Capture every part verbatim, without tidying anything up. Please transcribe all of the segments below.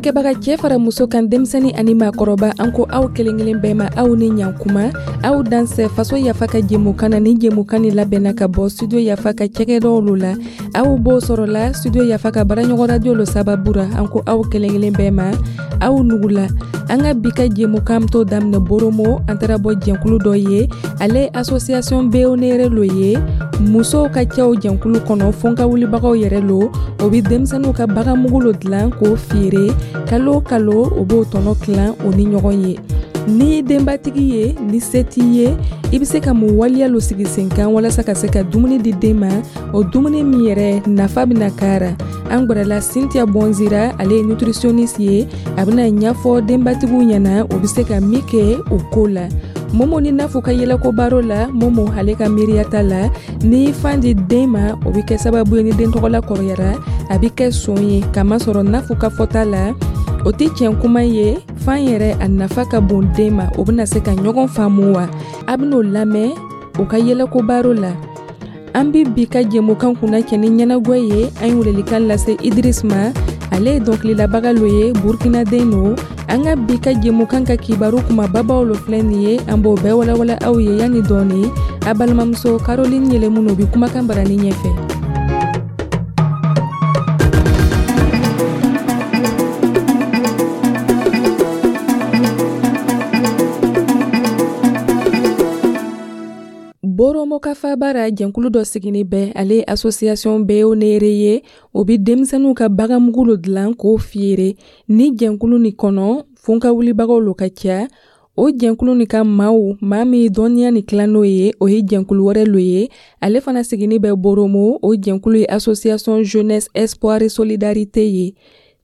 Lamɛnnikɛbaga, cɛɛ fara muso kan, denmisɛni ani maakɔrɔba, an ko aw kelen kelen bɛɛ ma, aw ni ɲankuma, aw dansɛ Faso Yafa ka jɛmukan na. Ni jɛmukan ni labɛnna ka bɔ Studio Yafa ka cɛgɛdɔw lo la. Aw b'o sɔrɔ la Studio Yafa ka baaraɲɔgɔn radio lo sababu ra. An ko aw kelen kelen bɛɛ ma, aw nugula. An ka bi ka jɛmukan to daminɛ Boromo. An taara bɔ jɛnkulu dɔ ye, ale association Beonere lo ye, musow ka cɛw jɛnkulu kɔnɔ, fɔnka wulibagaw yɛrɛ lo. O bi denmisɛnninw ka bagamugu lo dilan k'o feere kalo kalo, o b'o tɔnɔ tilan o ni ɲɔgɔn ye. Ni denbatigi ye, ni se t'i ye, i be se ka mun waliya lo sigi sen kan walasa ka se ka dumuni di den ma, o dumuni min yɛrɛ nafa bena kara? An gwɛrɛla Cynthia Bonzira, ale ye nutritionniste ye. A bena ɲɛfɔ denbatigiw ɲɛna o be se ka min kɛ o ko la. Momo ni Nafu ka yɛlɛko baro la, Momo ale ka miiriyata la, ni fan di den ma, o be kɛ sababu ye ni den tɔgɔla kɔrɔyara, a be kɛ son ye. Kamasɔrɔ Nafu ka fɔta la, o tɛ tiɲɛ kuma ye. Fan yɛrɛ a nafa ka bon den ma. O bena se ka ɲɔgɔn faamu wa? A ben'o lamɛn o ka yɛlɛko baro la. An bi bi ka jɛmukan kunna cɛ ni ɲɛnagwɛ ye. An ye welelikan lase Idris ma, ale ye dɔnkililabaga lo ye, Burkinaden no. An ka bi ka jɛmukan ka kibaru kumababaw lo filɛ nin ye. An b'o bɛɛ walawala aw ye yanni dɔɔni. A balimamuso Caroline Yɛlɛmunu bi kumakan barani ɲɛfɛ. Boromo ka faba ra, jɛnkulu dɔ sigini bɛ, ale ye association Beonere ye. O bi denmisɛnninw ka bagamugu lo dilan k'o feere. Ni jɛnkulu ni kɔnɔ, fonka wulibagaw lo ka ca. O jɛnkulu ni ka maaw, maa min dɔnniya ni tilan n'o ye, o ye jɛnkulu wɛrɛ lo ye, ale fana sigini bɛ Boromo. O jɛnkulu ye association Jeunesse Espoir et Solidarité ye.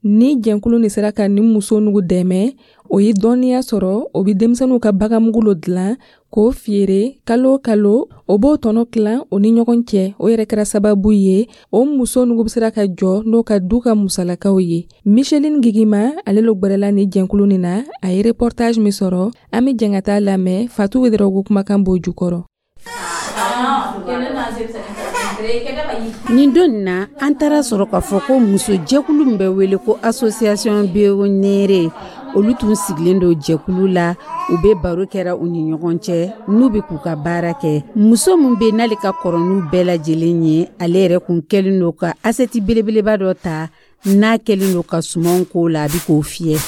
Ni jɛnkulu ni sera ka ni muso nugu dɛmɛ, o ye dɔnniya sɔrɔ, o bi denmisɛnninw ka bagamugu lo dilan k'o feere kalo kalo, o b'o tɔnɔ tilan o ni ɲɔgɔn cɛ. O yɛrɛ kɛra sababu ye, o muso nugu bɛ sera ka jɔ n'o ka du ka musalakaw ye. Micheline Gigima, ale lo gwɛrɛla ni jɛnkulu nin na. A ye reportage min sɔrɔ, an be jɛn ka taa lamɛn. Fatu Wederawogo kumakan b'o jukɔrɔ. Nin don na, an taara sɔrɔ k'a fɔ ko muso jɛkulu min bɛ wele ko association Beonere, olu tun sigilen don jɛkulu la. U bɛ baro kɛra u ni ɲɔgɔn cɛ n'u bɛ k'u ka baara kɛ. Muso min bɛ n'ale ka kɔrɔ n'u bɛɛ lajɛlen ye, ale yɛrɛ kun kɛlen don ka assiette belebeleba dɔ ta n'a kɛlen don ka sumanw k'o la, a bɛ k'o fiyɛ.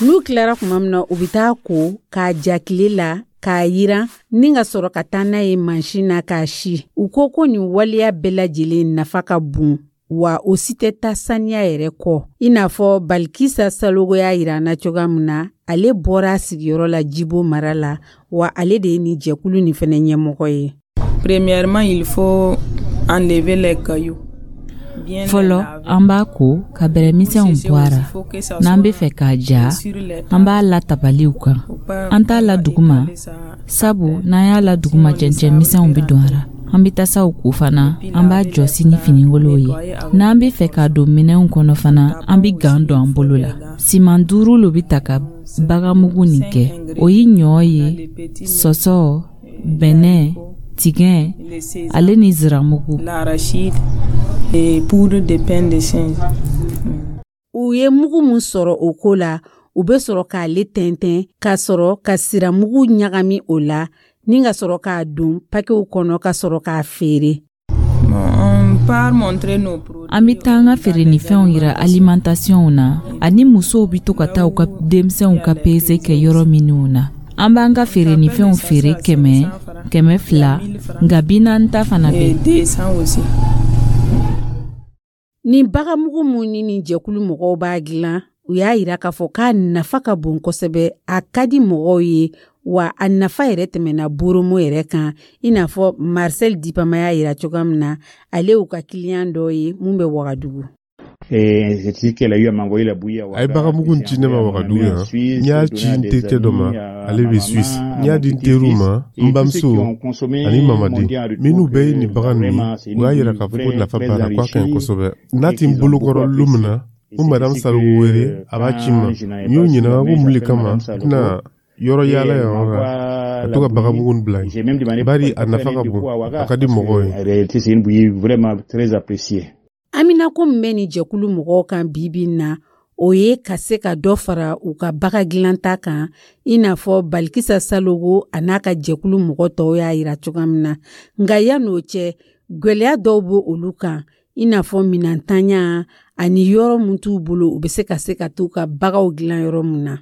N'u tilara tuma min na, u bɛ taa ko k'a ja tile la, k'a yiran, ni ka sɔrɔ ka taa n'a ye mansin na k'a si. U ko ko nin waleya bɛɛ lajɛlen nafa ka bon, wa o si tɛ taa saniya yɛrɛ kɔ. I n'a fɔ Balikisa Salogo y'a yira an na cogoya min na, ale bɔra a sigiyɔrɔ la Jibo mara la, wa ale de ye nin jɛkulu nin fɛnɛ ɲɛmɔgɔ ye. Premièrement, il faut enlever les cailloux. Fɔlɔ, an b'a ko ka bɛrɛmisɛnw bɔ a ra. N'an be fɛ k'a ja, an b'a la tabaliw kan. An t'a la duguma, sabu n'an y'a la duguma, cɛncɛnmisɛnw be don a ra. An be tasaw ko fana, an b'a jɔsi ni finingolow ye. N'an be fɛ k'a don minɛnw kɔnɔ fana, an be gan don an bolo la. Siman duuru lo be ta ka bagamugu nin kɛ. O ye ɲɔ ye, sɔsɔ, bɛnɛ, tigɛn, ale ni ziramugu. Et poudre de pain de singe. U ye mugu min sɔrɔ o ko la, u bɛ sɔrɔ k'ale tɛntɛn, ka sɔrɔ ka siramugu ɲagami o la, ni ka sɔrɔ k'a don pakew kɔnɔ, ka sɔrɔ k'a feere. An bɛ taa an ka feerenifɛnw yira alimentationw na, ani musow bɛ to ka taa u ka denmisɛnw ka peze kɛ yɔrɔ minnu na. An b'an ka feerenifɛnw feere kɛmɛ, kɛmɛ fila, nka bi naani ta fana bɛ. Nin bagamugu mun ni nin jɛkulu mɔgɔw b'a dilan, u y'a yira k'a fɔ k'a nafa ka bon kosɛbɛ, a ka di mɔgɔw ye, wa a nafa yɛrɛ tɛmɛna Boromo yɛrɛ kan. I n'a fɔ Marcel Dipama y'a yira cogoya min na, ale y'u ka kiliyan dɔ ye mun bɛ Wagadugu. A ye bagamugu ci ne ma Wagadugu yan. N y'a ci n terikɛ dɔ ma, ale bɛ Suisse. N y'a di n teriw ma, n bamuso ani mamaden minnu bɛɛ ye nin bagan ninnu ye. U y'a yira k'a fɔ ko nafa b'a la, k'a ka ɲi kosɛbɛ. N'a ti n bolokɔrɔ lon min na, n madame Salogo wele, a b'a ci n ma. N y'o ɲininka ko mun le kama tɛna yɔrɔ yaala yan yɔrɔ la ka to ka bagamugu nin bila yen, bari a nafa ka bon, a ka di mɔgɔw ye. Haminako min bɛ nin jɛkulu mɔgɔw kan bi bi in na, o ye ka se ka dɔ fara u ka baga dilanta kan, i n'a fɔ Balikisa Salogo a n'a ka jɛkulu mɔgɔ tɔw y'a yira cogoya min na. Nka yan'o cɛ, gwɛlɛya dɔw bɛ olu kan, i n'a fɔ minɛntanya ani yɔrɔ min t'u bolo u bɛ se ka se ka t'u ka bagaw dilan yɔrɔ min na.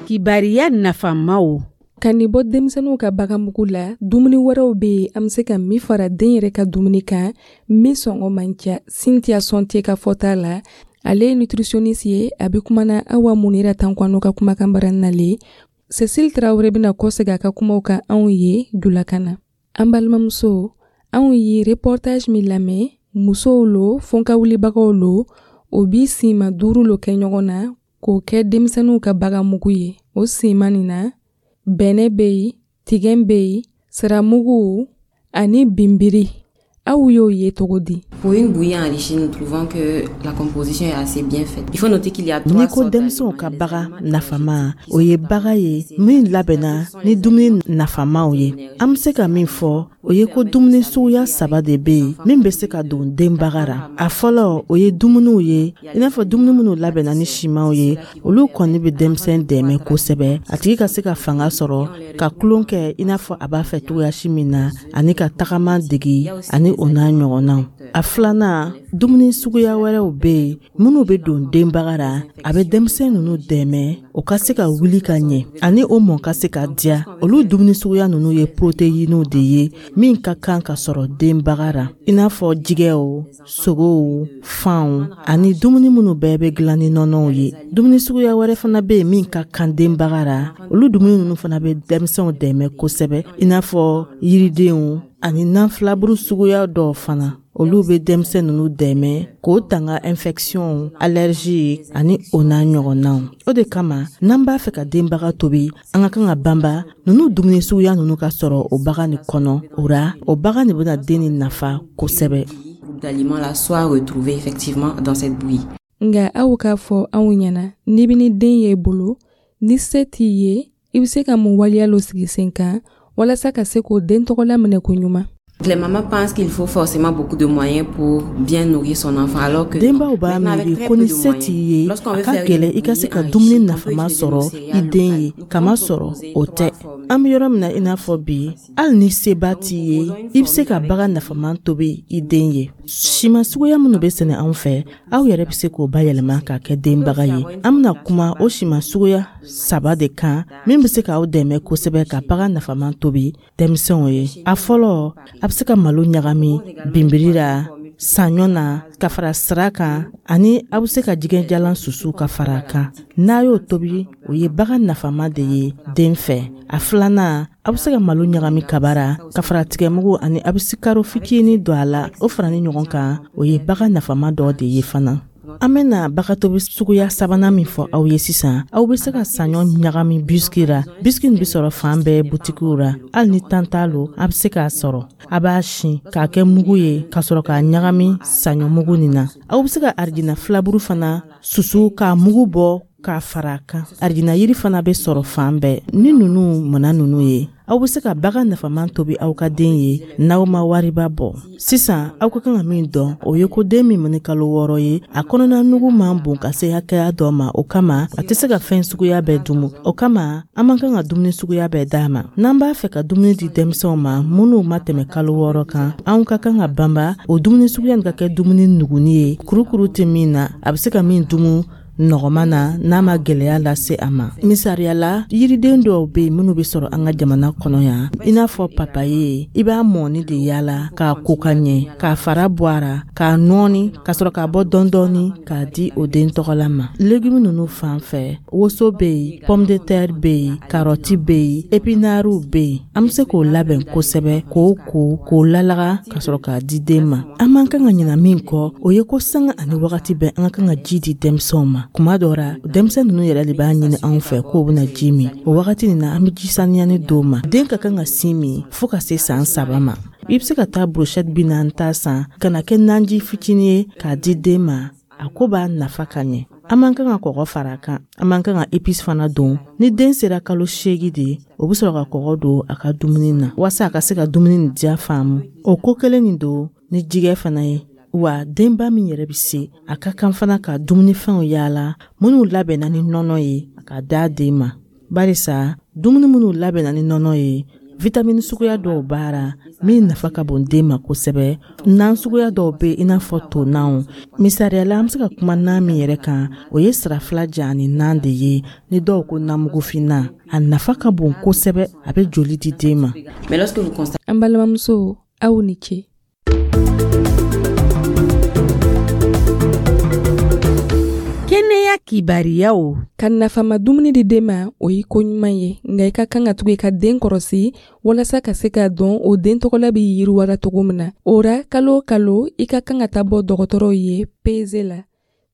Kibariya nafamaw. Ka nin bɔ denmisɛnninw ka bagamugu la, dumuni wɛrɛw bɛ yen an bɛ se ka min fara den yɛrɛ ka dumuni kan min sɔngɔ man ca. Cynthia Sɔnte ka fɔta la, ale ye nutritionniste ye, a bɛ kumana Awa Munira Tankwano ka kumakan bara nalen. Cécile Traoré bɛna kɔsegin a ka kumaw kan anw ye julakan na. An balimamuso, anw ye reportage min lamɛn, musow lo, fɔnkawulibagaw lo, o bi sima duuru lo kɛ ɲɔgɔn na k'o kɛ denmisɛnninw ka bagamugu ye. O sima nin na, bɛnɛ bɛ yen, tigɛn bɛ yen, siramugu ani binbiri. Aw y'o ye cogo di? Pour une bouillie enrichie, nous trouvons que la composition est assez bien faite. Il faut noter qu'il y a trois N'i ko denmisɛnw ka baga nafama, o ye baga ye min labɛnna ni dumuni nafamaw ye. An bɛ se ka min fɔ, o ye ko dumuni suguya saba de bɛ yen min bɛ se ka don den baga ra. A fɔlɔ, o ye dumuniw ye, i n'a fɔ dumuni minnu labɛnna ni simanw ye, olu kɔni bɛ denmisɛn dɛmɛ kosɛbɛ, a tigi ka se ka fanga sɔrɔ ka tulon kɛ i n'a fɔ a b'a fɛ cogoya si min na, ani ka tagama degi ani o n'a ɲɔgɔnnaw. A filanan, dumuni suguya wɛrɛw bɛ yen minnu bɛ don denbaga ra, a bɛ denmisɛn ninnu dɛmɛ o ka se ka wuli ka ɲɛ ani o mɔn ka se ka diya. Olu dumuni suguya ninnu ye poroteyiniw de ye min ka kan ka sɔrɔ denbaga ra, i n'a fɔ jɛgɛw, sogow, fanw ani dumuni minnu bɛɛ bɛ dilan ni nɔnɔw ye. Dumuni suguya wɛrɛ fana bɛ yen min ka kan denbaga ra, olu dumuni ninnu fana bɛ denmisɛnw dɛmɛ kosɛbɛ, i n'a fɔ yiridenw ani nanfilaburu suguya dɔw fana. Olu bɛ denmisɛn ninnu dɛmɛ k'o tanga infection, allergie ani o n'a ɲɔgɔnnaw. O de kama n'an b'a fɛ ka denbaga tobi, an ka kan ka banba ninnu dumuni suguya ninnu ka sɔrɔ o baga nin kɔnɔ. O ra, o baga nin bɛna den nin nafa kosɛbɛ. D'aliments là soit retrouvé effectivement dans cette bouillie. Nka aw k'a fɔ anw ɲɛna, n'i bɛ ni den y'e bolo, ni se t'i ye, i bɛ se ka mun waleya lo sigi sen kan walasa ka se k'o den tɔgɔla minɛ koɲuman? Les mamans pensent qu'il faut forcément beaucoup de moyens pour bien nourrir son enfant, alors que denbaw b'a miiri ko ni se t'i ye, a ka gɛlɛn i ka se ka dumuni nafama sɔrɔ i den ye, kama sɔrɔ o tɛ. An bɛ yɔrɔ min na i n'a fɔ bi, hali ni seba t'i ye, i bɛ se ka baga nafama tobi i den ye. Siman suguya minnu bɛ sɛnɛ anw fɛ, aw yɛrɛ bɛ se k'o bayɛlɛma k'a kɛ denbaga ye. An bɛna kuma o siman suguya saba de kan min bɛ se k'aw dɛmɛ kosɛbɛ ka baga nafama tobi denmisɛnw ye. A fɔlɔ, a bɛ se ka malo ɲagami binbiri la, saɲɔ na, ka fara sira kan, ani a bɛ se ka jɛgɛjalan susu ka fara a kan. N'a y'o tobi, o ye baga nafama de ye den fɛ. A filanan, a bɛ se ka malo ɲagami kaba ra, ka fara tigɛmugu ani a bɛ sikaro fitinin don a la, o fara ni ɲɔgɔn kan, o ye baga nafama dɔ de ye fana. An bɛna bagatobi suguya sabanan min fɔ aw ye sisan, aw bɛ se ka saɲɔ ɲagami bisiki ra. Bisiki nin bɛ sɔrɔ fan bɛɛ butikiw ra, hali ni tan t'a lo, a bɛ se k'a sɔrɔ. A b'a sin k'a kɛ mugu ye ka sɔrɔ k'a ɲagami saɲɔ mugu nin na. Aw bɛ se ka arijina filaburu fana susu k'a mugu bɔ k'a fara a kan. Arijina yiri fana bɛ sɔrɔ fan bɛɛ. Ni ninnu mɔna ninnu ye, aw bɛ se ka bagan nafaman tobi aw ka den ye n'aw ma wariba bɔ. Sisan aw ka kan ka min dɔn, o ye ko den min ni kalo wɔɔrɔ ye, a kɔnɔna nugu man bon ka se hakɛya dɔ ma, o kama a tɛ se ka fɛn suguya bɛɛ dumu. O kama an man kan ka dumuni suguya bɛɛ d'a ma. N'an b'a fɛ ka dumuni di denmisɛnw ma minnu ma tɛmɛ kalo wɔɔrɔ kan, anw ka kan ka banba o dumuni suguya nin ka kɛ dumuni nuguni ye, kurukuru tɛ min na, a bɛ se ka min dumu nɔgɔman na n'a ma gɛlɛya lase a ma. Misaliya la, yiriden dɔw bɛ yen minnu bɛ sɔrɔ an ka jamana kɔnɔ yan, i n'a fɔ papaye, i b'a mɔni de yaala k'a ko ka ɲɛ, k'a fara bɔ a ra, k'a nɔɔni, ka sɔrɔ k'a bɔ dɔɔni dɔɔni k'a di o den tɔgɔla ma. Legume ninnu fan fɛ, woso bɛ yen, pomme de terre bɛ yen, karɔti bɛ yen, épinards bɛ yen. An bɛ se k'o labɛn kosɛbɛ, k'o ko, k'o lalaga ka sɔrɔ k'a di den ma. An man kan ka ɲina min kɔ, o ye ko sanga ani wagati bɛɛ an ka kan ka ji di denmisɛnw ma. Kuma dɔ ra, denmisɛn ninnu yɛrɛ de b'a ɲini anw fɛ k'o bɛna ji min. O wagati nin na, an bɛ ji saniyani d'o ma. Den ka kan ka sin min fo ka se san saba ma. I bɛ se ka taa brochette bi naani ta san ka na kɛ nanji fitinin ye k'a di den ma, a ko b'a nafa ka ɲɛ. An man kan ka kɔgɔ fara a kan, an man kan ka épice fana don. Ni den sera kalo seegi de, o bɛ sɔrɔ ka kɔgɔ don a ka dumuni na walasa a ka se ka dumuni nin diya faamu. O ko kelen nin don ni jigɛ fana ye. Wa denba min yɛrɛ bɛ se, a ka kan fana ka dumunifɛnw yaala minnu labɛnna ni nɔnɔ ye ka d'a den ma, barisa dumuni minnu labɛnna ni nɔnɔ ye, vitamini suguya dɔw b'a ra min nafa ka bon den ma kosɛbɛ. Nan suguya dɔw bɛ i n'a fɔ tonanw. Misaliyala, an bɛ se ka kuma nan min yɛrɛ kan, o ye sirafila jan ni nan de ye, ni dɔw ko namugufinna. A nafa ka bon kosɛbɛ, a bɛ joli di den ma. An balimamuso, aw ni ce. Kɛnɛya kibariyaw. Ka nafama dumuni di den ma, o ye ko ɲuman ye, nka i ka kan ka tugu i ka den kɔrɔsi walasa ka se k'a dɔn o den tɔgɔla bɛ yiriwara cogo min na. O ra, kalo o kalo i ka kan ka taa bɔ dɔgɔtɔrɔw ye peze la.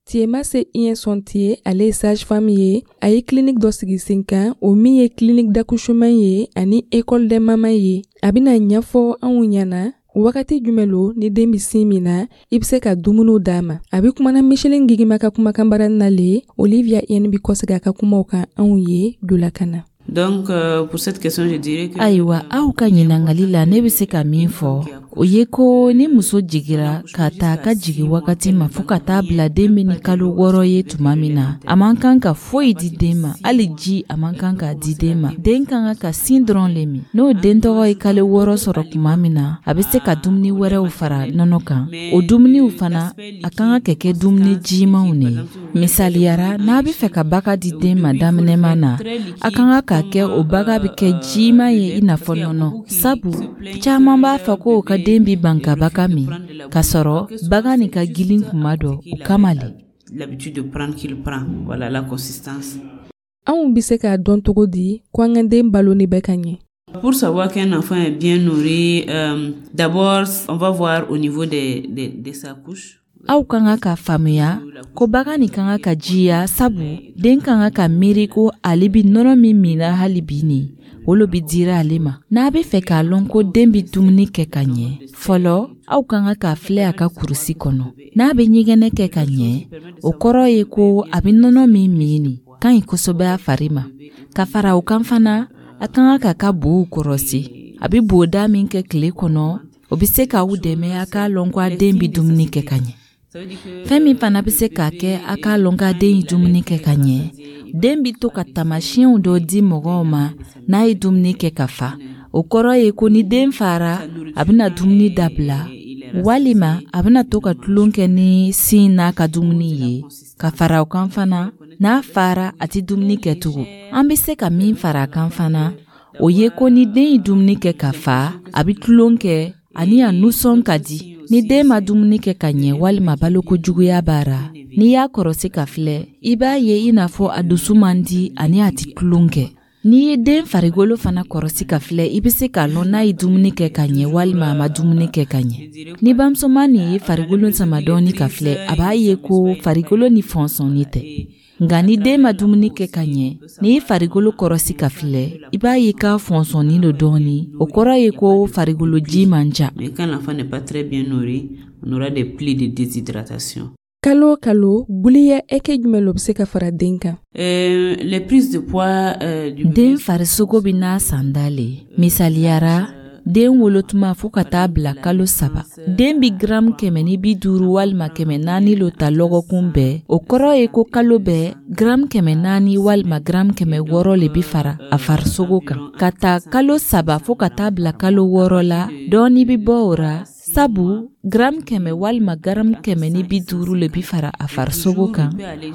Tiema se iɲɛ sɔntiye, ale ye sage femme ye. A ye clinique dɔ sigi sen kan, o min ye clinique d'accouchement ye ani école des mamans ye. A bɛna ɲɛfɔ anw ɲɛna wagati jumɛn lo ni den bɛ sin min na, i bɛ se ka dumuniw d'a ma. A bɛ kumana Micheline Gigima ka kumakan bara na le. Olivia Yen bɛ kɔsegin a ka kumaw kan anw ye Julakan na. Donc, euh, pour cette question, je dirais que... Ayiwa, aw ka ɲiningali la, ne bɛ se ka min fɔ, o ye ko ni muso jigira ka taa ka jigi wagati ma fo ka taa bila den bɛ ni kalo wɔɔrɔ ye tuma min na, a man kan ka foyi di den ma, hali ji a man kan ka di den ma. Den ka kan ka sin dɔrɔn le min. N'o den tɔgɔ ye kalo wɔɔrɔ sɔrɔ tuma min na, a bɛ se ka dumuni wɛrɛw fara nɔnɔ kan. O dumuniw fana, a kan ka kɛ dumuni jimanw de ye. Misaliyara, n'a bɛ fɛ ka baga di den ma daminɛma na, a kan ka kɛ o baga bɛ kɛ jiman ye i n'a fɔ nɔnɔ, sabu caman b'a fɔ ko o ka den bɛ ban ka baga min, k'a sɔrɔ baga nin ka gilin kuma dɔ, o kama le. Anw bɛ se k'a dɔn cogo di ko an ka den balo ni bɛ ka ɲɛ? Pour savoir qu'un enfant est bien nourri, euh, d'abord, on va voir au niveau de, de, de sa couche. Aw ka kan ka faamuya ko bagan nin ka kan ka jiya, sabu den ka kan ka miiri ko ale bi nɔnɔ min minna hali bi nin, o lo bi dira ale ma. N'a bɛ fɛ k'a lɔn ko den bi dumuni kɛ ka ɲɛ, fɔlɔ aw ka kan k'a filɛ a ka kurusi kɔnɔ. N'a bɛ ɲɛgɛnɛ kɛ ka ɲɛ, o kɔrɔ ye ko a bɛ nɔnɔ min min nin ka ɲi kosɛbɛ a fari ma. Ka fara o kan fana, a ka kan k'a ka bow kɔrɔsi. A bɛ boda min kɛ tile kɔnɔ, o bɛ se k'aw dɛmɛ a k'a lɔn ko a den bɛ dumuni kɛ ka ɲɛ. Fɛn min fana bɛ se k'a kɛ a k'a lɔn k'a den ye dumuni kɛ ka ɲɛ, den bɛ to ka taamasiyɛnw dɔ di mɔgɔw ma n'a ye dumuni kɛ ka fa. O kɔrɔ ye ko ni den fara, a bɛna dumuni dabila, walima a bɛna to ka tulon kɛ ni sin n'a ka dumuni ye. Ka fara o kan fana, n'a fara, a tɛ dumuni kɛ tugun. An bɛ se ka min fara a kan fana, o ye ko ni den ye dumuni kɛ ka fa, a bɛ tulon kɛ ani a nisɔn ka di. Ni den ma dumuni kɛ ka ɲɛ walima baloko juguya b'a ra, n'i y'a kɔrɔsi ka filɛ, i b'a ye i n'a fɔ a dusu man di ani a tɛ tulon kɛ. N'i ye den farikolo fana kɔrɔsi ka filɛ, i bɛ se k'a lɔn n'a ye dumuni kɛ ka ɲɛ walima a ma dumuni kɛ ka ɲɛ. Ni bamusoman nin ye farikolo sama dɔɔni ka filɛ, a b'a ye ko farikolo ni fɔnsɔnni tɛ. Nka ni den ma dumuni kɛ ka ɲɛ, n'i ye farikolo kɔrɔsi ka filɛ, i b'a ye k'a fɔnsɔnni don dɔɔni. O kɔrɔ ye ko farikolo ji man ca. Mais quand l'enfant n'est pas très bien nourri, on aura des plis de déshydratation. Kalo o kalo, guliya ɛkɛ jumɛn lo bɛ se ka fara den kan? Euh, les prises de poids euh, du Den farisogo bɛ n'a sanda le. Misaliyara, den wolotuma fo ka taa bila kalo saba, den bi garamu kɛmɛ ni bi duuru walima kɛmɛ naani lo ta lɔgɔkun bɛɛ. O kɔrɔ ye ko kalo bɛɛ, garamu kɛmɛ naani walima garamu kɛmɛ wɔɔrɔ le bi fara a farisogo kan. Ka ta kalo saba fo ka taa bila kalo wɔɔrɔ la, dɔɔni bi bɔ o ra, sabu garamu kɛmɛ walima garamu kɛmɛ ni bi duuru le bi fara a farisogo kan.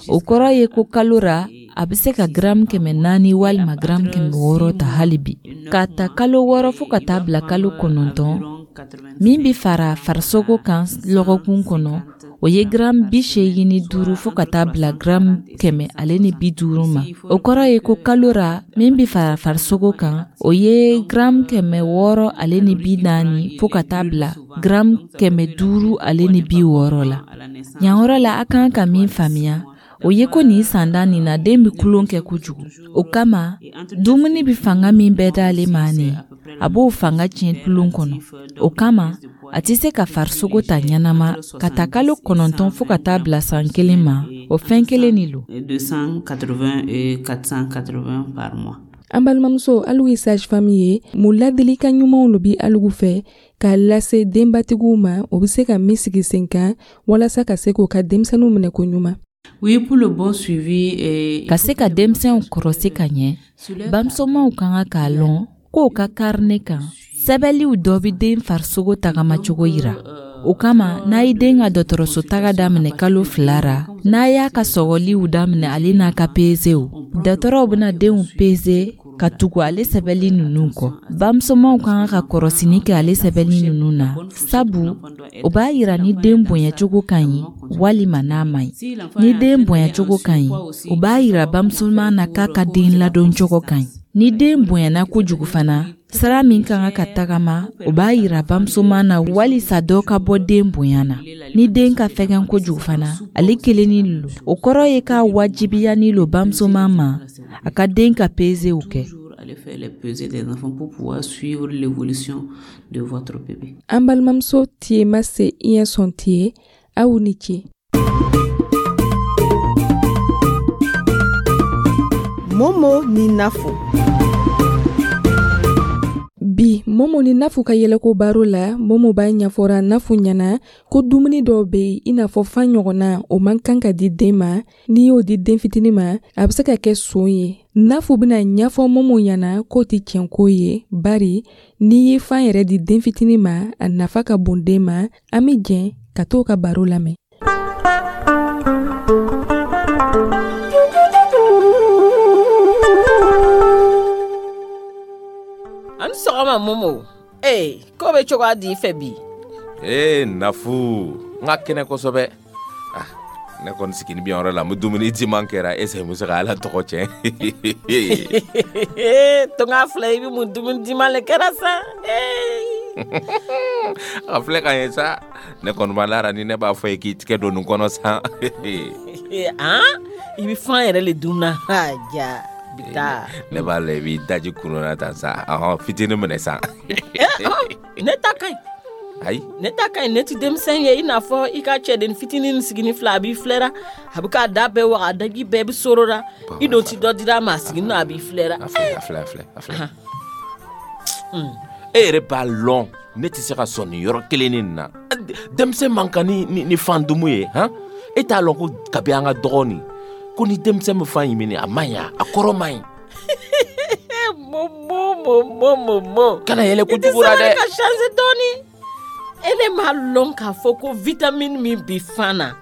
O kɔrɔ ye ko kalo ra, a bɛ se ka garamu kɛmɛ naani walima garamu kɛmɛ wɔɔrɔ ta hali bi. Ka ta kalo wɔɔrɔ fo ka taa bila kalo kɔnɔntɔn, min bɛ fara farisogo kan lɔgɔkun kɔnɔ, o ye garamu bi seegin ni duuru fo ka taa bila garamu kɛmɛ ale ni bi duuru ma. O kɔrɔ ye ko kalo ra, min bɛ fara farisogo kan, o ye garamu kɛmɛ wɔɔrɔ ale ni bi naani fo ka taa bila garamu kɛmɛ duuru ale ni bi wɔɔrɔ la. Yan yɔrɔ la, a kan ka min faamuya, o ye ko nin sanda nin na, den bɛ tulon kɛ kojugu. O kama, dumuni bɛ fanga min bɛɛ d'ale ma nin, a b'o fanga tiɲɛ tulon kɔnɔ. O kama, a tɛ se ka farisogo ta ɲɛnama ka ta kalo kɔnɔntɔn fo ka taa bila san kelen ma. O fɛn kelen ni lo. deux cent quatre-vingts et quatre cent quatre-vingts par mois. An balimamuso, alu ye sage femme ye, mun ladilikan ɲumanw lo bi alugu fɛ k'a lase denbatigiw ma, o be se ka min sigi sen kan walasa ka se k'o ka denmisɛniw minɛ ko ɲuman? Oui, pour le bon suivi, eh, Ka se ka denmisɛnw kɔrɔsi ka ɲɛ, bamusomaw ka kan k'a lɔn k'o ka carnet kan sɛbɛliw dɔ bi den farisogo tagamacogo yira. O kama, n'a ye den ka dɔgɔtɔrɔso taga daminɛ kalo fila ra, n'a y'a ka sɔgɔliw daminɛ, ale n'a ka pezew, dɔgɔtɔrɔw bena denw peze ka tugu ale sɛbɛli ninnu kɔ. Bamusomaw ka kan ka kɔrɔsini kɛ ale sɛbɛli ninnu na, sabu o b'a yira ni den bonyacogo ka ɲi walima n'a man ɲi. Ni den bonyacogo ka ɲi, o b'a yira bamusoman na k'a ka den ladoncogo ka ɲi. Ni den bonyana kojugu fana, sira min ka kan ka tagama, o b'a yira bamusoman na walisa dɔ ka bɔ den bonya na. Ni den ka fɛgɛn kojugu fana, ale kelenni lo, o kɔrɔ ye k'a wajibiyani lo bamusoman ma a ka den ka pezew kɛ. Aller faire les pesées des enfants pour pouvoir suivre l'évolution de votre bébé. An balimamuso Tiema Se iɲɛ sɔn tiye, aw ni ce. Momo ni Nafo. Bi Momo ni Nafu ka yɛlɛko baro la, Momo b'a ɲɛfɔra Nafu ɲɛna ko dumuni dɔw be yen, i n'a fɔ fan ɲɔgɔnna, o man kan ka di den ma. N'i y'o di den fitini ma, a be se ka kɛ son ye. Nafu bena ɲɛfɔ Momo ɲɛna k'o tɛ tiɲɛko ye, bari n'i ye fan yɛrɛ di den fitini ma, a nafa ka bon den ma. An be jɛn ka t'o ka baro lamɛn. An sɔgɔma Momo. Ee, ko bɛ cogoya di i fɛ bi? Ee Nafu, n ka kɛnɛ kosɛbɛ. Ah, ne kɔni sigini bi yɔrɔ la, n bɛ dumuni diman kɛra, e se bɛ se ka Ala tɔgɔ tiɲɛ. Tunga filɛ, i bɛ mun dumuni diman le kɛra sa? A filɛ ka ɲɛ sa. Ne kɔni ma lara ni ne b'a fɔ ye k'i tigɛ don nin kɔnɔ sa. Han, i bɛ fan yɛrɛ le dun na. Ja. Bita. Ne b'a la i b'i daji kununa tan sa. Ɔhɔn, fitinin minɛ sa. Ne ta ka ɲi. Ayi. Ne ta ka ɲi, ne ti denmisɛn ye i n'a fɔ i ka cɛden fitinin sigini fila, a b'i filɛra, a bɛ k'a da bɛɛ waga, a daji bɛɛ bɛ soro la. I don ti dɔ dira a ma, a sigini a b'i filɛra. A filɛ, a filɛ, a filɛ, a filɛ. E yɛrɛ b'a lɔn ne tɛ se ka sɔn nin yɔrɔ kelen nin na. Denmisɛn man kan ni ni fan dumu ye, han? E t'a lɔn ko kabi an ka dɔgɔ nin, ko ni denmisɛn bɛ fan ɲimi a man ɲi, a kɔrɔ man ɲi. Momo, Momo, Momo. Kana yɛlɛ kojugu la dɛ. I tɛ sabali ka changer dɔɔni. E ne m'a lɔn k'a fɔ ko vitamine min bɛ fan na,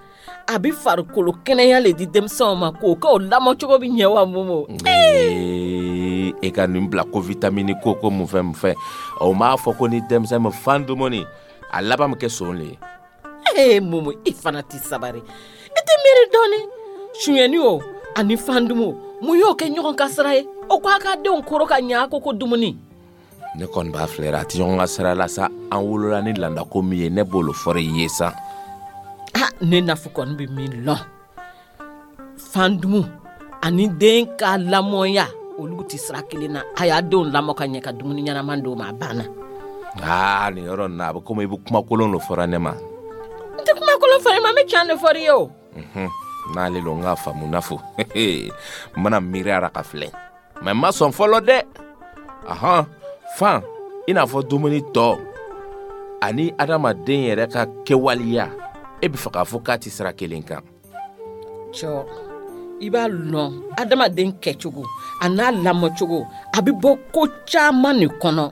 a bɛ farikolo kɛnɛya le di denmisɛnw ma, k'o kɛ o lamɔcogo bɛ ɲɛ wa Momo? Ee, e ka nin bila ko vitamine ko ko mun fɛn mun fɛn. O m'a fɔ ko ni denmisɛn bɛ fan dumuni, a laban bɛ kɛ son le ye. Ee Momo, i fana tɛ sabali. I tɛ miiri dɔɔni. Suɲɛni o ani fandumu, mun y'o kɛ ɲɔgɔn ka sira ye? O ko a ka denw koro ka ɲɛ, a ko ko dumuni. Ne kɔni b'a filɛ, a tɛ ɲɔgɔn ka sira la sa. An wolola ni landako min ye, ne b'o fɔra i ye sa. Ah, ne Nafu kɔni bɛ min lɔn, fandumu ani den ka lamɔya, olu tɛ sira kelen na. A y'a denw lamɔ ka ɲɛ ka dumuni ɲɛnama d'o ma, a banna. Aa, nin yɔrɔ nin na, a bɛ komi i bɛ kuma kolon dɔ fɔra ne ma. N tɛ kuma kolon fɔra i ma, n bɛ tiɲɛ de fɔra i ye o. N'ale lo n k'a faamu Nafu. N mana miiri a la ka filɛ, mɛ n ma sɔn fɔlɔ dɛ. Ahan, fan i n'a fɔ dumuni tɔ ani adamaden yɛrɛ ka kɛwaleya, e bɛ fɛ k'a fɔ k'a tɛ sira kelen kan. Cɔ, i b'a lɔn adamaden kɛcogo a n'a lamɔcogo, a bɛ bɔ ko caman de kɔnɔ.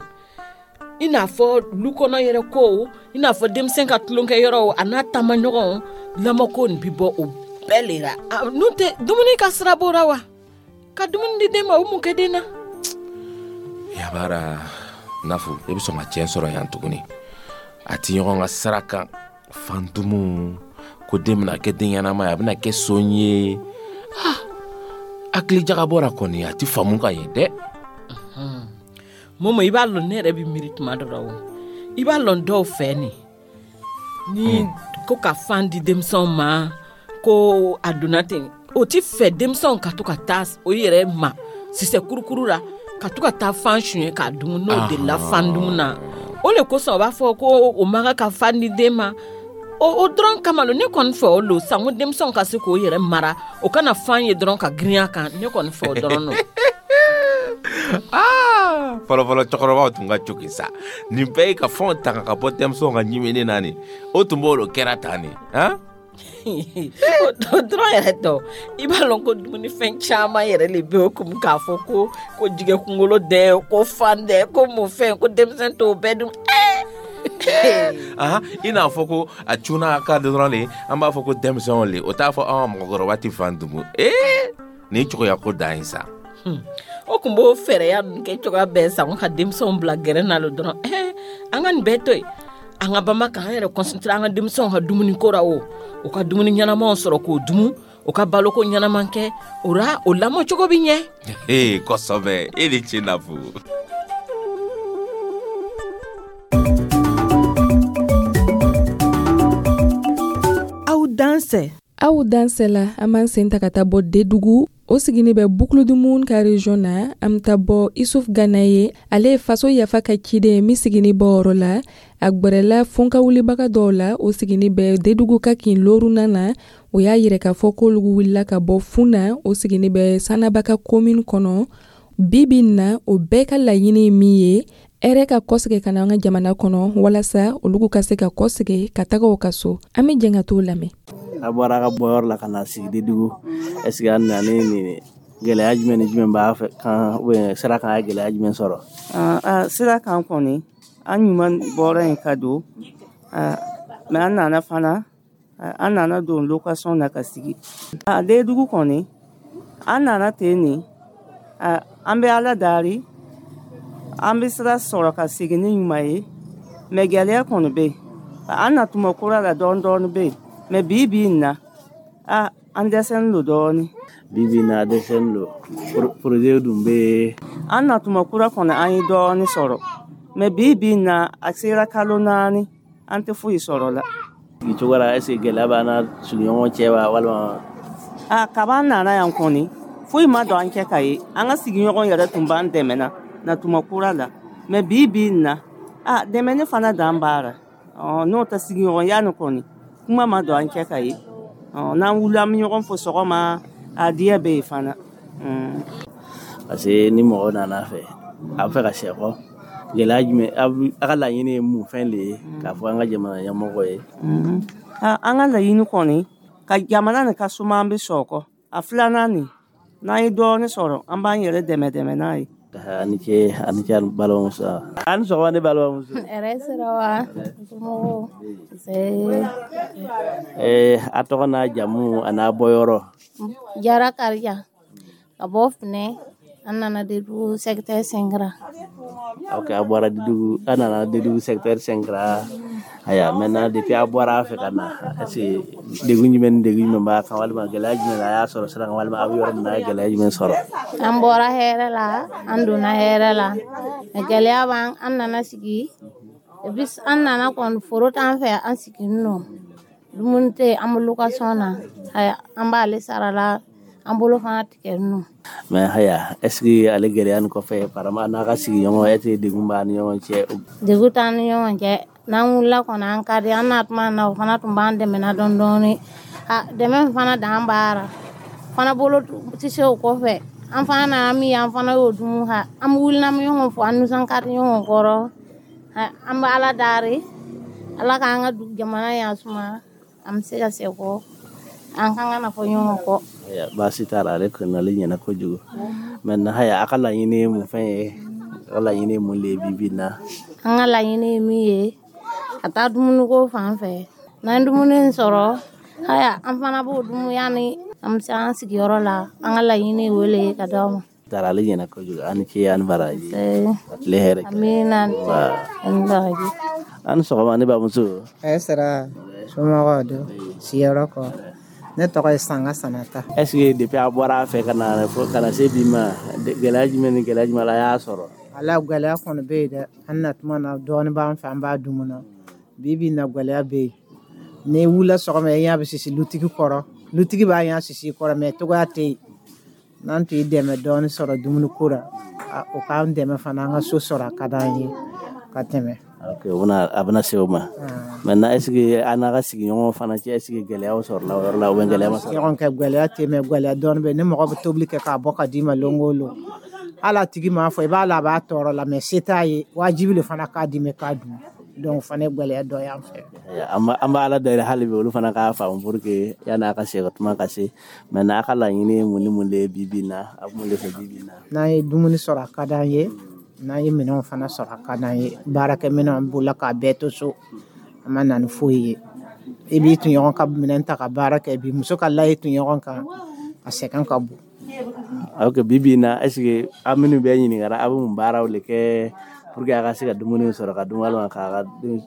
I n'a fɔ lu kɔnɔ yɛrɛ ko, i n'a fɔ denmisɛn ka tulonkɛyɔrɔw a n'a taamaɲɔgɔnw, lamɔko nin bɛ bɔ o bɛɛ le la. N'o tɛ dumuni ka sira bɔra wa? Ka dumuni di den ma, o mun kɛ den na? Yabara Nafu, i bɛ sɔn ka tiɲɛ sɔrɔ yan tuguni. A tɛ ɲɔgɔn ka sira kan. Fandumu ko den bɛna kɛ den ɲɛnama ye, a bɛna kɛ son ye. Ah, hakili jagabɔra kɔni, a tɛ faamu ka ɲɛ dɛ. Momo, i b'a lɔn ne yɛrɛ bɛ miiri tuma dɔ la o. I b'a lɔn dɔw fɛ nin ni ko ka fan di denmisɛnw ma, ko a donna ten, o ti fɛ denmisɛnw ka to ka taa o yɛrɛ ma sisɛ kurukuru la, ka to ka taa fan suɲɛ k'a dun, n'o delila fan dun na. O le kosɔn o b'a fɔ ko o man kan ka fan di den ma. O o dɔrɔn kama lo, ne kɔni fɛ o lo, sanko denmisɛnw ka se k'o yɛrɛ mara, o kana fan ye dɔrɔn ka girinya kan. Ne kɔni fɛ o dɔrɔn no. Aa, fɔlɔfɔlɔ cɛkɔrɔbaw tun ka cogi sa. Nin bɛɛ ye ka fɛnw tanga ka bɔ denmisɛnw ka ɲimini na nin. O tun b'o lo kɛra tan nin han. O dɔrɔn yɛrɛ tɔ, i b'a lɔn ko dumunifɛn caman yɛrɛ le bɛ o komi k'a fɔ ko ko jɛgɛ kunkolo dɛ, ko fan dɛ, ko mun fɛn, ko denmisɛn t'o bɛɛ dun. Aha, i n'a fɔ ko a cunna ka dɔrɔn le, an b'a fɔ ko denmisɛnw le, o t'a fɔ anw ka mɔgɔkɔrɔba tɛ fan dumu. Ee, nin cogoya ko dan ye sa. O kun b'o fɛɛrɛya ninnu kɛ cogoya bɛɛ sanko ka denmisɛnw bila gɛrɛ na lo dɔrɔn. Ɛɛ, an ka nin bɛɛ to yen, an ka banba k'an yɛrɛ concentré an ka denmisɛnw ka dumuni ko ra, o u ka dumuni ɲɛnamaw sɔrɔ k'o dumu, u ka baloko ɲɛnaman kɛ, o ra o lamɔ cogo bi ɲɛ. Ee, kosɛbɛ, e ni ce Nafu. Aw dansɛ. Aw dansɛ la, an b'an sen ta ka taa bɔ Dedugu, o sigini bɛ Boucle du Mouhoun ka region na. An bɛ taa bɔ Isuf Gana ye, ale ye faso yafa ka ciden min sigini bɔ yɔrɔ la. A gwɛrɛla fonkawulibaga dɔw la, o sigini bɛ Dedugu ka kin loruna na. O y'a yirɛ k'a fɔ k'olu wulila ka bɔ Funa, o sigini bɛ Sanaba ka commune kɔnɔ. Bi bi in na, o bɛɛ ka laɲini ye min ye, hɛrɛ ka kɔsegin ka na an ka jamana kɔnɔ, walasa olu ka se ka kɔsegin ka taga u ka so. An bɛ jɛn ka t'o lamɛn. A bɔra a ka bɔyɔrɔ la ka na sigi Dedugu, est ce que an nana ni gɛlɛya jumɛn ni jumɛn b'a fɛ kan, ou bien sira kan a ye gɛlɛya jumɛn sɔrɔ? Aa, sira kan kɔni, an ɲuman bɔra yen ka don, mais an nana fana, an nana don location na ka sigi. A Dedugu kɔni, an nana ten nin, an bɛ Ala dari, an bɛ sira sɔrɔ ka segin ni ɲuman ye, mais gɛlɛya kɔni bɛ yen. An na tuma kura la dɔɔni dɔɔni bɛ yen, mais bi bi in na, a an dɛsɛlen don dɔɔni. Bi bi in na, dɛsɛlen don. Projet dun bɛ yen. An na tuma kura kɔni, an ye dɔɔni sɔrɔ, mais bi bi in na, a sera kalo naani, an tɛ foyi sɔrɔ la. Sigi cogo la, est ce que gɛlɛya b'an n'a sigiɲɔgɔn cɛ wa, walima? A kaban nana yan kɔni, foyi ma don an cɛ ka ye. An ka sigiɲɔgɔn yɛrɛ tun b'an dɛmɛ na na tuma kura la, mais bi bi in na, a dɛmɛni fana dan b'a la. N'o tɛ sigiɲɔgɔnya nin kɔni, kuma ma don an cɛ ka ye. N'an wulila, an bɛ ɲɔgɔn fo sɔgɔma, a diya bɛ yen fana. Parce que ni mɔgɔ nana fɛ, a bɛ fɛ ka sɛkɔ, gɛlɛya jumɛn, a ka laɲini ye mun fɛn de ye k'a fɔ an ka jamana ɲɛmɔgɔ ye? An ka laɲini kɔni, ka jamana nin ka suma, an bɛ sɔkɔ. A filanan nin, n'an ye dɔɔnin sɔrɔ, an b'an yɛrɛ dɛmɛ dɛmɛ n'a ye. A ni ce, a ni ce balimamuso. A ni sɔgɔma ne balimamuso. Hɛrɛ sira wa, somɔgɔw? Nse. Eh, a tɔgɔ n'a jamu a n'a bɔyɔrɔ. Jara Karija ka bɔ Funɛ, an nana Dedugu secteur Sɛnkara. Ok, a bɔra Dedugu, a nana Dedugu secteur Sɛnkara. Aya, maintenant depuis a bɔra a fɛ ka na, est ce que degun jumɛn ni degun jumɛn b'a kan, walima gɛlɛya jumɛn a y'a sɔrɔ sira kan, walima a bɛ yɔrɔ min na a ye gɛlɛya jumɛn sɔrɔ? An bɔra hɛrɛ la, an donna hɛrɛ la. Gɛlɛya b'an, an nana sigi. Et puis an nana kɔni, foro t'an fɛ, an sigilen don. Dumuni tɛ yen, an bɛ location na. Haya, an b'ale sara la, an bolo fana tigɛlen don. Mais haya, est ce que ale gɛlɛya nin kɔfɛ, par exemple n'a ka sigiɲɔgɔn, est ce que degun b'a ni ɲɔgɔn cɛ? Degun t'an ni ɲɔgɔn cɛ. N'an wulila kɔni, an ka di. An na tuma na, o fana tun b'an dɛmɛ dɔɔni dɔɔni. A dɛmɛ fana dan b'a fana bolo tɛ se o kɔfɛ. An fana nana min ye, an fana y'o dun. Ha, an bɛ wuli n'an bɛ ɲɔgɔn fo, an nisɔn ka di ɲɔgɔn kɔrɔ. An bɛ Ala dari, Ala k'an ka jamana yan suma, an bɛ se ka segin, an kan ka na fɔ ɲɔgɔn kɔ. Baasi t'a la, ale kɔni ale ɲɛna kojugu. Maintenant haya, a ka laɲini ye mun fɛn ye? A ka laɲini ye mun de ye bi bi in na? An ka laɲini ye min ye, ka taa dumuniko fan fɛ. N'an ye dumuni sɔrɔ, haya, an fana b'o dun yanni an bɛ se an sigiyɔrɔ la. An ka laɲini ye wele ka d'aw ma. Taara, ale ɲɛna kojugu. A ni ce, a ni baraji. A tile hɛrɛ. Amiina, ani baraji. A ni sɔgɔma ne bamuso. Ɛ sera, somɔgɔw don, siyɔrɔ kɔ. Ne tɔgɔ ye Sanga Sanata. Est ce que depuis a bɔra a fɛ ka na fo ka na se bi ma, gɛlɛya jumɛn ni gɛlɛya jumɛn la a y'a sɔrɔ? Ala, gɛlɛya kɔni bɛ yen dɛ. An na tuma na, dɔɔnin b'an fɛ, an b'a dun na. Bi bi in na, gɛlɛya bɛ yen. N'i wulila sɔgɔma, i ɲɛ bɛ sisi lutigi kɔrɔ, lutigi b'a ɲɛ sisi kɔrɔ, mais togoya tɛ yen. N'an tun ye dɛmɛ dɔɔnin sɔrɔ dumuni ko la, o k'an dɛmɛ fana, an ka so sɔrɔ, a ka d'an ye ka tɛmɛ. Ok, o bɛna a bɛna se o ma. Maintenant, est ce que an n'a ka sigiɲɔgɔnw fana cɛ, est ce que gɛlɛyaw sɔrɔla o yɔrɔ la ou bien gɛlɛya ma sɔrɔ? Ɲɔgɔn kɛ, gɛlɛya tɛ, mɛ gɛlɛya dɔɔni bɛ. Ni mɔgɔ bɛ tobili kɛ k'a bɔ ka d'i ma lon o lon, hali a tigi m'a fɔ, i b'a la, a b'a tɔɔrɔ la, mɛ se t'a ye, wajibi le fana k'a d'i ma k'a dun. Donc o fana ye gɛlɛya dɔ y'an fɛ. An b'a Ala deli hali bi olu fana k'a faamu pour que yanni a ka se ka kuma ka se. Maintenant, a ka laɲini ye mun ni mun de ye bi bi in na? A bɛ mun de fɛ bi bi in na? N'an ye dumuni sɔrɔ, a ka d'an ye. N'an ye minɛnw fana sɔrɔ, a ka d'an ye. Baarakɛminɛnw, an bolila k'a bɛɛ to so, an ma na ni foyi ye. I b'i tɔɲɔgɔn ka minɛn ta ka baara kɛ, bi muso ka la i tɔɲɔgɔn kan, a sɛgɛn ka bon. Ok, bi bi in na, est ce que aw minnu bɛɛ ɲininkara, aw bɛ mun baaraw de kɛ pour que a ka se ka dumuni sɔrɔ ka dun walima k'a ka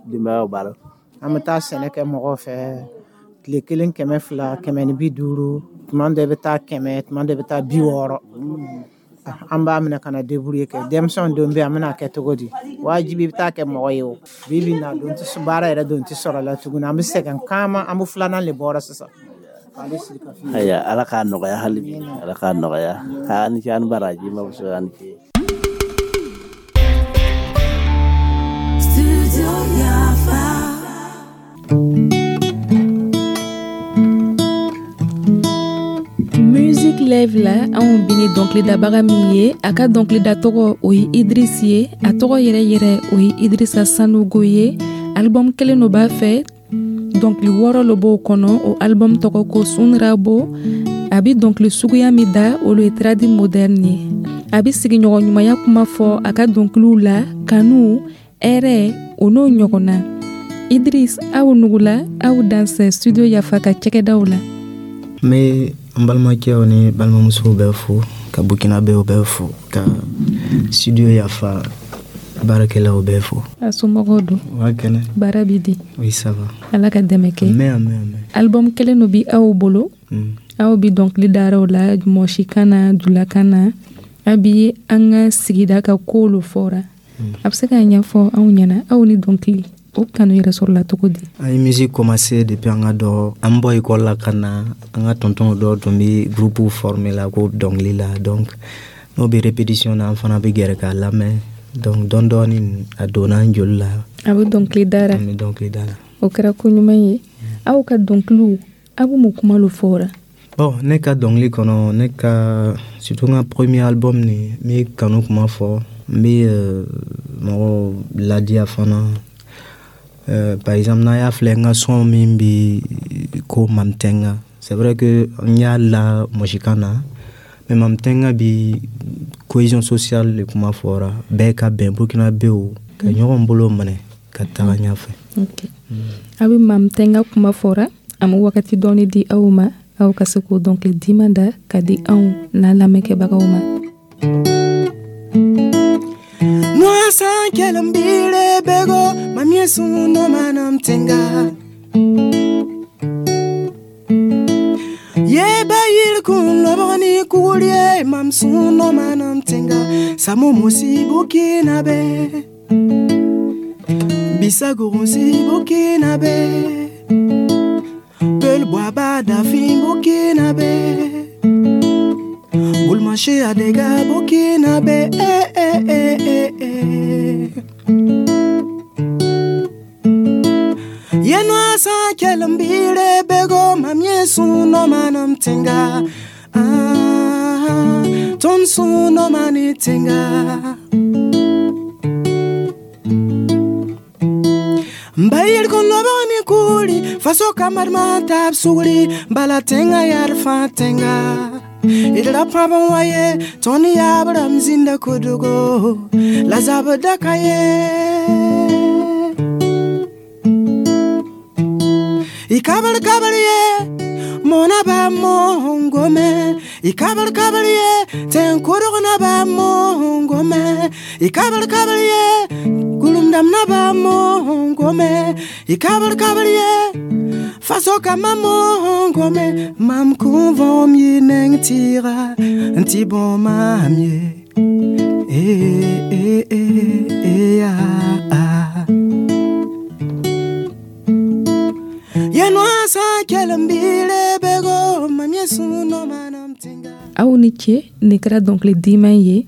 denbayaw balo? An bɛ taa sɛnɛ kɛ mɔgɔw fɛ, tile kelen kɛmɛ fila, kɛmɛ ni bi duuru. Tuma dɔ i bɛ taa kɛmɛ, tuma dɔ i bɛ taa bi wɔɔrɔ. An b'a minɛ ka na débrouiller kɛ. Denmisɛnw don bɛ yen, an bɛna kɛ cogo di? Wajibi, i bɛ taa kɛ mɔgɔ ye. O bi bi na, don tɛ baara yɛrɛ, don tɛ sɔrɔ la tuguni. An bɛ sɛgɛn caman, an bɛ filanan de bɔra sisan. Ayiwa, Ala k'a nɔgɔya hali bi, Ala k'a nɔgɔya. A ni ce, an baraji ma muso, ani ce. Studio Yafa. Music Live la, anw bi ni dɔnkilidabaga min ye, a ka dɔnkilida tɔgɔ o ye Idris ye. A tɔgɔ yɛrɛ yɛrɛ o ye Idrissa Sanogo ye. Album kelen no b'a fɛ, dɔnkili wɔɔrɔ lo b'o kɔnɔ. O album tɔgɔ ko Sunrabo. A bi dɔnkili suguya min da, olu ye tradi moderne ye. A bi sigiɲɔgɔn ɲumanya kuma fɔ a ka dɔnkiliw la, kanu, hɛrɛ, o n'o ɲɔgɔnna. Idris, aw nugula, aw dansɛ Studio Yafa ka cɛkɛdaw la. N bɛ n balimakɛw ni balimamusow bɛɛ fo, ka Burkinabɛw bɛɛ fo, ka Studio Yafa baarakɛlaw bɛɛ fo. A somɔgɔw don? Wa kɛnɛ. Baara bi di? Oui, ça va. Ala ka dɛmɛ kɛ. Amen, amen, amen. Album kelen no bi aw bolo. Mm. Aw bi dɔnkili daraw la mɔsikan na, dulakan na. A bi an ka sigida ka kow lo fɔra. A bɛ se k'a ɲɛfɔ anw ɲɛna, aw ni dɔnkili o kanu yɛrɛ sɔrɔla cogo di? An ye musique commencé depuis an ka dɔgɔ. An bɔ école la ka na, an ka tonton dɔw tun bɛ groupe former la ko dɔnkili la. Donc n'o bɛ répétition na, an fana bɛ gɛrɛ k'a lamɛn. Donc dɔɔni dɔɔni, a donna an joli la. A bɛ dɔnkili da la. An bɛ dɔnkili da la. O kɛra ko ɲuman ye. Aw ka dɔnkiliw, aw bɛ mun kuma lo fɔra? Bon, ne ka dɔnkili kɔnɔ, ne ka surtout n ka premier album nin, n bɛ kanu kuma fɔ, n bɛ euh, mɔgɔw ladiya fana. Euh, par exemple, n'a y'a filɛ, n ka son min bi ko Mamtenga, c'est vrai que n y'a la mɔsikan na, mais Mamtenga bi cohésion sociale de kuma fɔra, bɛɛ ka bɛn, Burkinabɛw ka ɲɔgɔn bolo minɛ ka taga ɲɛfɛ. Ok. Aw bɛ Mamtenga kuma fɔra, an bɛ wagati dɔɔni di aw ma, aw ka se k'o dɔnkili diman da ka di anw n'a lamɛnkɛbagaw ma. Noasan kelembile bego mamiesu no manamtenga ye bayil kun loboni kulie mamsu no manamtenga samo musi bukina be bisago si bukina be pel boaba dafin bukina be Gulmaché adega Burkina be eh eh eh eh eh. Yenwa sa kelembire bego mamie suno manamtenga ah ton suno manitenga Mbayil kon lobani kuli faso kamar mantab sugri balatenga yar fatenga Idra papa waye Tony Abraham zinda kudugo Lazaba dakaye Ikabar kabar ye Mona ba mongome Ikabar kabar ye Tenkurugna ba mongome Ikabar kabar ye Gulumdam na ba mongome Ikabar kabar ye Faso kama mongome Mam kuvom yineng tira Nti bon mamye Eh eh eh eh ah ah Yenwa sa kelembile bego mamye suno manamtenga Aw ni ce, nin kɛra dɔnkili diman ye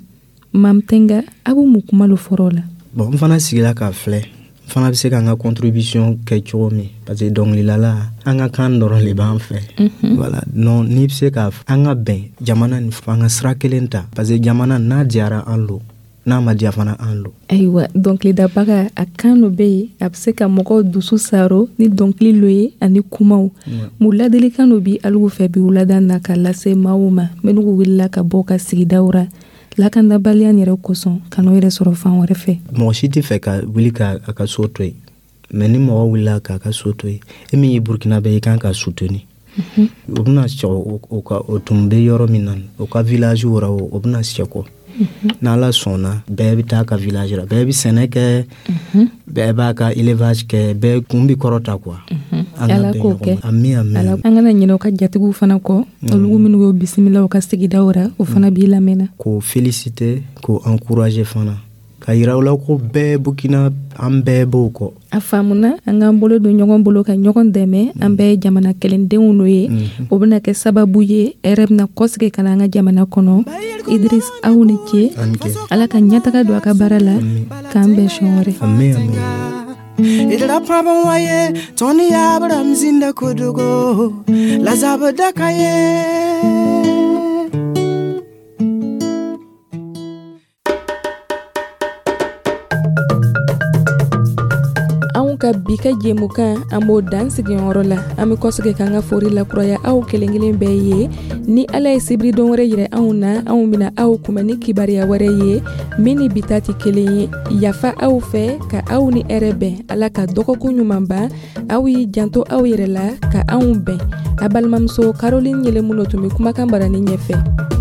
Mamtenga. Aw bɛ mun kuma lo fɔrɔ la? Bon, n fana sigila k'a filɛ. N fana bɛ se ka n ka contribution kɛ cogo min, parce que dɔnkilidala, an ka kan dɔrɔn de b'an fɛ. Voilà, non, n'i bɛ se ka an ka bɛn jamana nin, an ka sira kelen ta, parce que jamana n'a diyara an lo, n'a ma diya fana an lo. Ayiwa, dɔnkilidabaga, a kan dɔ bɛ yen, a bɛ se ka mɔgɔw dusu saro ni dɔnkili lo ye ani kumaw. Mun ladilikan dɔ bi alugu fɛ bi wulada na ka lase maaw ma minnu wulila ka bɔ ka sigidaw ra lakanabaliya yɛrɛ kosɔn, ka n'o yɛrɛ sɔrɔ fan wɛrɛ fɛ? Mɔgɔ si tɛ fɛ ka wuli ka a ka so to yen, mais ni mɔgɔ wulila k'a ka so to yen, e min ye Burkinabè, i kan ka soutenir. O bɛna sɛ o ka o tun bɛ yɔrɔ min na, o ka village wɛrɛ, o bɛna sɛ kɔ. N'Ala sɔnna, bɛɛ bɛ taa ka village la, bɛɛ bɛ sɛnɛ kɛ, bɛɛ b'a ka élevage kɛ, bɛɛ kun bɛ kɔrɔta quoi. Ala k'o kɛ. Ami, ami. An kana ɲinɛ u ka jatigiw fana kɔ, olu minnu y'o bisimila u ka sigidaw ra, o fana b'i lamɛnna. K'o féliciter, k'o encourager fana, ka yira u la ko bɛɛ Burkina, an bɛɛ b'o kɔ. A faamuna. An k'an bolo don ɲɔgɔn bolo ka ɲɔgɔn dɛmɛ, an bɛɛ ye jamana kelendenw n'o ye, o bɛna kɛ sababu ye hɛrɛ bɛna kɔsigi ka na an ka jamana kɔnɔ. Idris, aw ni ce. Ala ka ɲɛtaga don a ka baara la. K'an bɛn siɲɛ wɛrɛ. Ami, ami. D ra pãb n wa ye, tõnd yaab rãmb zĩnda kodogo la zabda ka ye. Anw ka bi ka jɛmukan, an b'o dan sigiyɔrɔ la. An bɛ kɔsigi k'an ka fori lakuraya aw kelen kelen bɛɛ ye. Ni Ala ye sibiri don wɛrɛ yira anw na, anw bɛna aw kunbɛn ni kibaruya wɛrɛ ye min ni bi ta tɛ kelen ye. Yafa aw fɛ, ka aw ni hɛrɛ bɛn. Ala ka dɔgɔkun ɲuman ban. Aw y'i janto aw yɛrɛ la, ka anw bɛn. A balimamuso Caroline Yɛlɛmuno tun bɛ kumakan barani ɲɛfɛ.